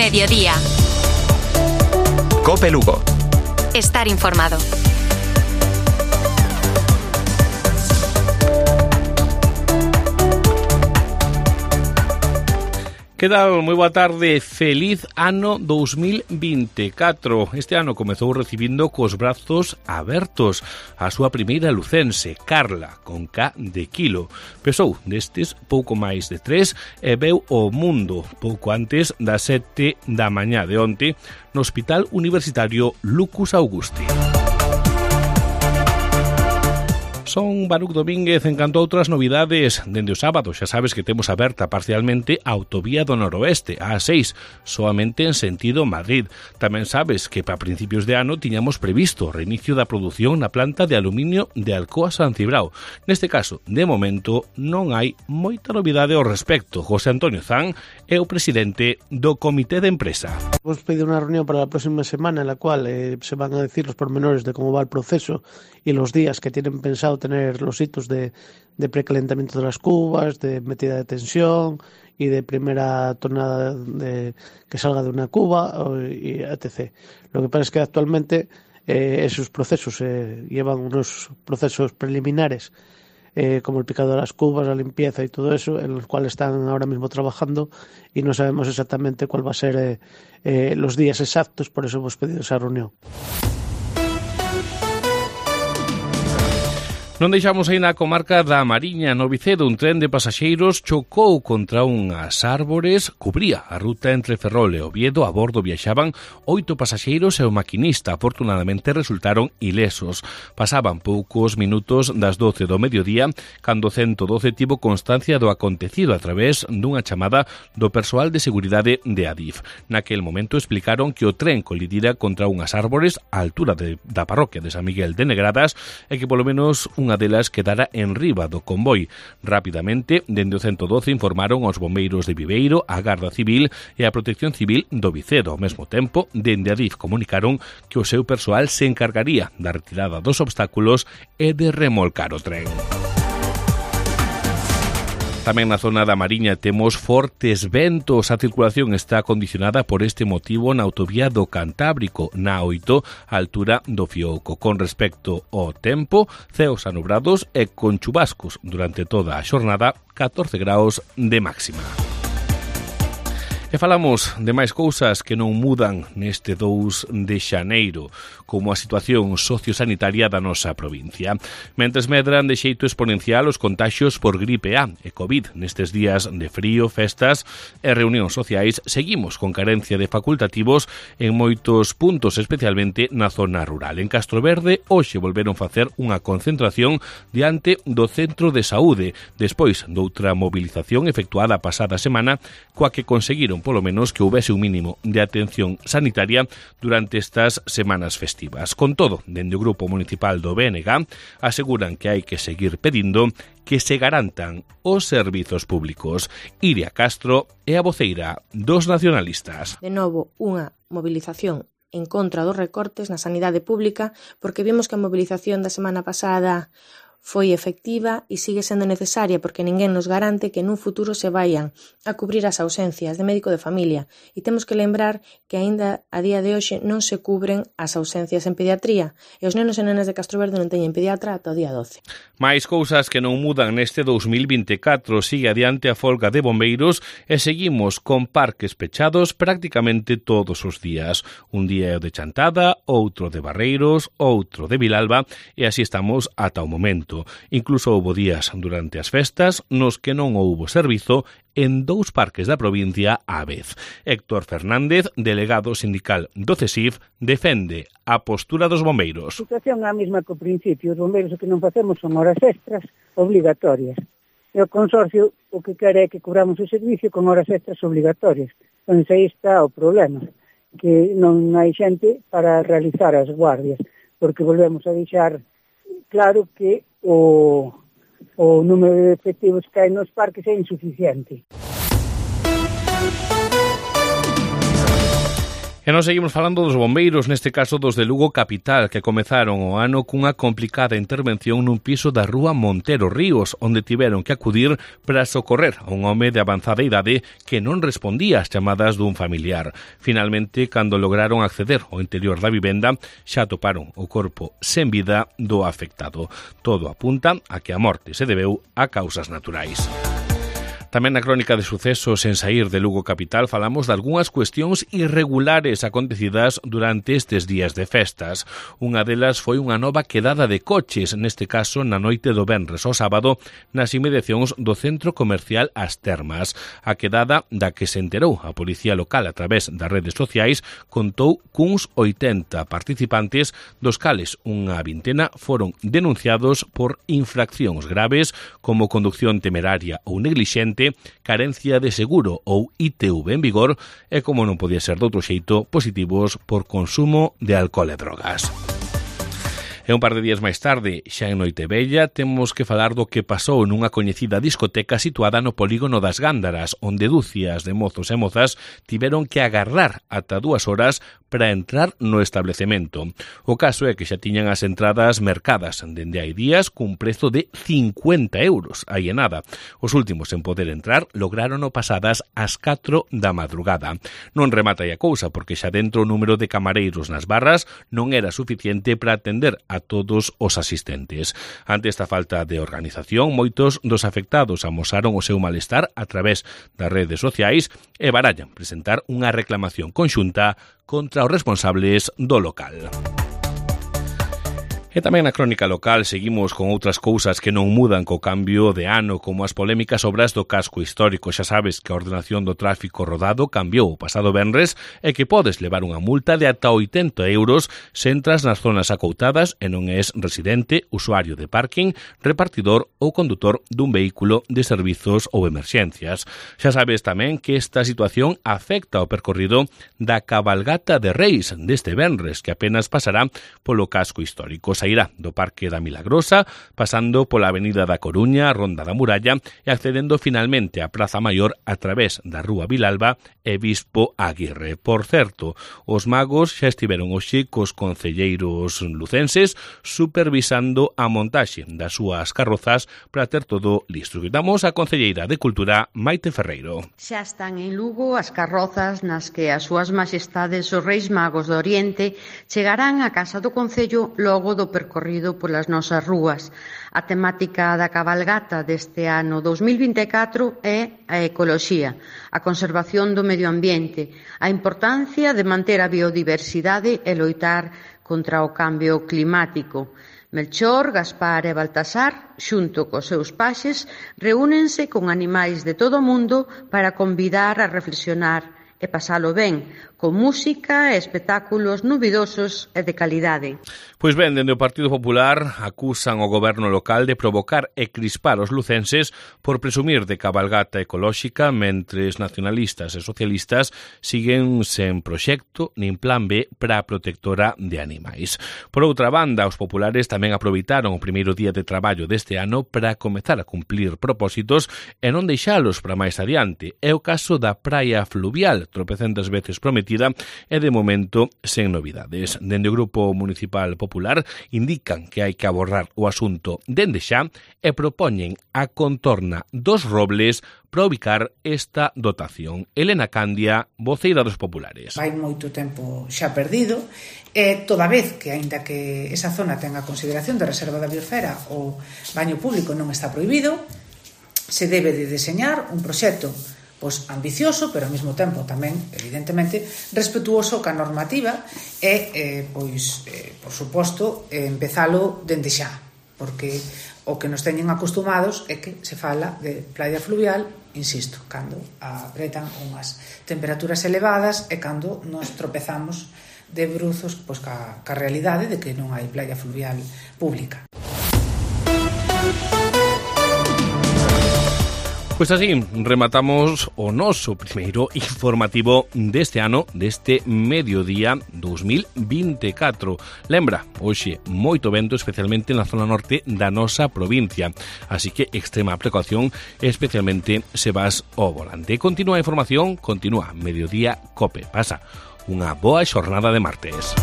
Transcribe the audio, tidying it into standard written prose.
Mediodía. COPE Lugo. Estar informado. Que tal? Moi boa tarde, feliz ano 2024. Este ano comezou recibindo cos brazos abertos a súa primeira lucense, Carla, con K de kilo. Pesou destes pouco máis de 3 e veu o mundo pouco antes das 7 da mañá de onte no Hospital Universitario Lucus Augusti. Son Baruc Domínguez en canto a outras novidades. Dende o sábado xa sabes que temos aberta parcialmente a autovía do noroeste, a A6, soamente en sentido Madrid. Tamén sabes que para principios de ano tiñamos previsto o reinicio da produción na planta de aluminio de Alcoa San Cibrao. Neste caso, de momento, non hai moita novidade ao respecto. José Antonio Zan é o presidente do Comité de Empresa. Hemos pedido una reunión para la próxima semana en la cual se van a decir los pormenores de cómo va el proceso y los días que tienen pensado tener los hitos de precalentamiento de las cubas, de metida de tensión y de primera tonada que salga de una cuba, y etc. Lo que pasa es que actualmente esos procesos llevan unos procesos preliminares como el picado de las cubas, la limpieza y todo eso, en los cuales están ahora mismo trabajando y no sabemos exactamente cuál va a ser los días exactos, por eso hemos pedido esa reunión. Non deixamos aí na comarca da Mariña, no Vicedo, un tren de pasaxeiros chocou contra unhas árbores, cubría a ruta entre Ferrol e Oviedo. A bordo viaxaban 8 pasaxeiros e o maquinista. Afortunadamente resultaron ilesos. Pasaban poucos minutos das 12 do mediodía cando 112 tivo constancia do acontecido a través dunha chamada do persoal de seguridade de Adif. Naquel momento explicaron que o tren colidira contra unhas árbores á altura da parroquia de San Miguel de Negradas e que polo menos unha delas quedara en riba do convoi. Rapidamente, dende o 112 informaron aos bombeiros de Viveiro, a Garda Civil e a Protección Civil do Vicedo. Ao mesmo tempo, dende Adif comunicaron que o seu persoal se encargaría da retirada dos obstáculos e de remolcar o tren. Tamén na zona da Mariña temos fortes ventos. A circulación está condicionada por este motivo na autovía do Cantábrico, na 8, a altura do Fiouco. Con respecto ao tempo, ceos anubrados e con chubascos durante toda a xornada, 14 graus de máxima. E falamos de máis cousas que non mudan neste 2 de xaneiro, como a situación sociosanitaria da nosa provincia. Mentres medran de xeito exponencial os contaxios por gripe A e COVID nestes días de frío, festas e reunións sociais, seguimos con carencia de facultativos en moitos puntos, especialmente na zona rural. En Castroverde, hoxe volveron facer unha concentración diante do Centro de Saúde, despois doutra movilización efectuada a pasada semana, coa que conseguiron polo menos que houbese un mínimo de atención sanitaria durante estas semanas festivas. Con todo, dende o Grupo Municipal do BNG aseguran que hai que seguir pedindo que se garantan os servizos públicos. Iria Castro é a voceira dos nacionalistas. De novo, unha movilización en contra dos recortes na sanidade pública, porque vimos que a movilización da semana pasada foi efectiva e sigue sendo necesaria porque ninguén nos garante que nun futuro se vayan a cubrir as ausencias de médico de familia, e temos que lembrar que aínda a día de hoxe non se cubren as ausencias en pediatría e os nenos e nenas de Castroverde non teñen pediatra ata o día 12. Mais cousas que non mudan neste 2024. Sigue adiante a folga de bombeiros e seguimos con parques pechados prácticamente todos os días. Un día é o de Chantada, outro de Barreiros, outro de Vilalba e así estamos ata o momento. Incluso houbo días durante as festas nos que non houbo servizo en 2 parques da provincia á vez. Héctor Fernández, delegado sindical do CESIF, defende a postura dos bombeiros. A situación é a mesma que o principio. Os bombeiros o que non facemos son horas extras obligatorias. E o consorcio o que quere é que cobramos o servicio con horas extras obligatorias. Entón, aí está o problema, que non hai xente para realizar as guardias, porque volvemos a deixar claro que o número de efectivos que hai nos parques é insuficiente. E nos seguimos falando dos bombeiros, neste caso dos de Lugo Capital, que comezaron o ano cunha complicada intervención nun piso da rúa Montero Ríos, onde tiveron que acudir para socorrer a un home de avanzada idade que non respondía ás chamadas dun familiar. Finalmente, cando lograron acceder ao interior da vivenda, xa atoparon o corpo sen vida do afectado. Todo apunta a que a morte se debeu a causas naturais. Tamén na crónica de sucesos en saír de Lugo Capital falamos de algunhas cuestións irregulares acontecidas durante estes días de festas. Unha delas foi unha nova quedada de coches, neste caso na noite do venres ao sábado, nas inmediacións do centro comercial As Termas. A quedada da que se enterou a policía local a través das redes sociais contou cuns 80 participantes, dos cales unha vintena foron denunciados por infraccións graves como conducción temeraria ou neglixente, carencia de seguro ou ITV en vigor e, como non podía ser de outro xeito, positivos por consumo de alcohol e drogas. E un par de días máis tarde, xa en Noitevella, temos que falar do que pasou nunha coñecida discoteca situada no polígono das Gándaras, onde dúcias de mozos e mozas tiveron que agardar ata 2 horas para entrar no establecemento. O caso é que xa tiñan as entradas mercadas dende hai días cun prezo de 50 euros, aí e nada. Os últimos en poder entrar lograrono pasadas ás 4 da madrugada. Non remata aí a cousa, porque xa dentro o número de camareiros nas barras non era suficiente para atender a todos os asistentes. Ante esta falta de organización, moitos dos afectados amosaron o seu malestar a través das redes sociais e barallan presentar unha reclamación conxunta contra os responsables do local. E tamén na crónica local seguimos con outras cousas que non mudan co cambio de ano, como as polémicas obras do casco histórico. Xa sabes que a ordenación do tráfico rodado cambiou o pasado venres e que podes levar unha multa de ata 80 euros se entras nas zonas acoutadas e non és residente, usuario de parking, repartidor ou condutor dun vehículo de servizos ou emerxencias. Xa sabes tamén que esta situación afecta o percorrido da cabalgata de Reis deste venres, que apenas pasará polo casco histórico. Sairá do Parque da Milagrosa, pasando pola Avenida da Coruña, Ronda da Muralla e accedendo finalmente á Praza Maior a través da Rúa Vilalba e Bispo Aguirre. Por certo, os magos xa estiveron hoxe cos concelleiros lucenses supervisando a montaxe das súas carrozas para ter todo listo. Escoitamos a concelleira de Cultura, Maite Ferreiro. Xa están en Lugo as carrozas nas que as súas majestades os Reis Magos do Oriente chegarán á Casa do Concello logo do percorrido polas nosas rúas. A temática da cabalgata deste ano 2024 é a ecoloxía, a conservación do medio ambiente, a importancia de manter a biodiversidade e loitar contra o cambio climático. Melchor, Gaspar e Baltasar, xunto cos seus paxes, reúnense con animais de todo o mundo para convidar a reflexionar e pasalo ben, con música e espectáculos novidosos e de calidade. Pois ben, dende o Partido Popular acusan o goberno local de provocar e crispar os lucenses por presumir de cabalgata ecolóxica, mentres nacionalistas e socialistas siguen sen proxecto nin plan B para a protectora de animais. Por outra banda, os populares tamén aproveitaron o primeiro día de traballo deste ano para comezar a cumplir propósitos e non deixalos para máis adiante. É o caso da praia fluvial, tropecentas veces prometida e de momento sen novidades. Dende o Grupo Municipal Popular indican que hai que abordar o asunto dende xa e propoñen a contorna dos Robles para ubicar esta dotación. Elena Candia, voceira dos populares. Hai moito tempo xa perdido e toda vez que, aínda que esa zona tenga consideración de reserva da biosfera, o baño público non está prohibido, se debe de deseñar un proxecto ambicioso, pero ao mesmo tempo tamén, evidentemente, respetuoso ca normativa e, por suposto, empezalo dende xa, porque o que nos teñen acostumados é que se fala de playa fluvial, insisto, cando apretan unhas temperaturas elevadas e cando nos tropezamos de bruzos ca realidade de que non hai playa fluvial pública. Pois así, rematamos o noso primeiro informativo deste ano, deste mediodía 2024. Lembra, hoxe, moito vento, especialmente na zona norte da nosa provincia. Así que extrema precaución, especialmente se vas ao volante. Continúa a información, continúa Mediodía Cope. Pasa unha boa xornada de martes.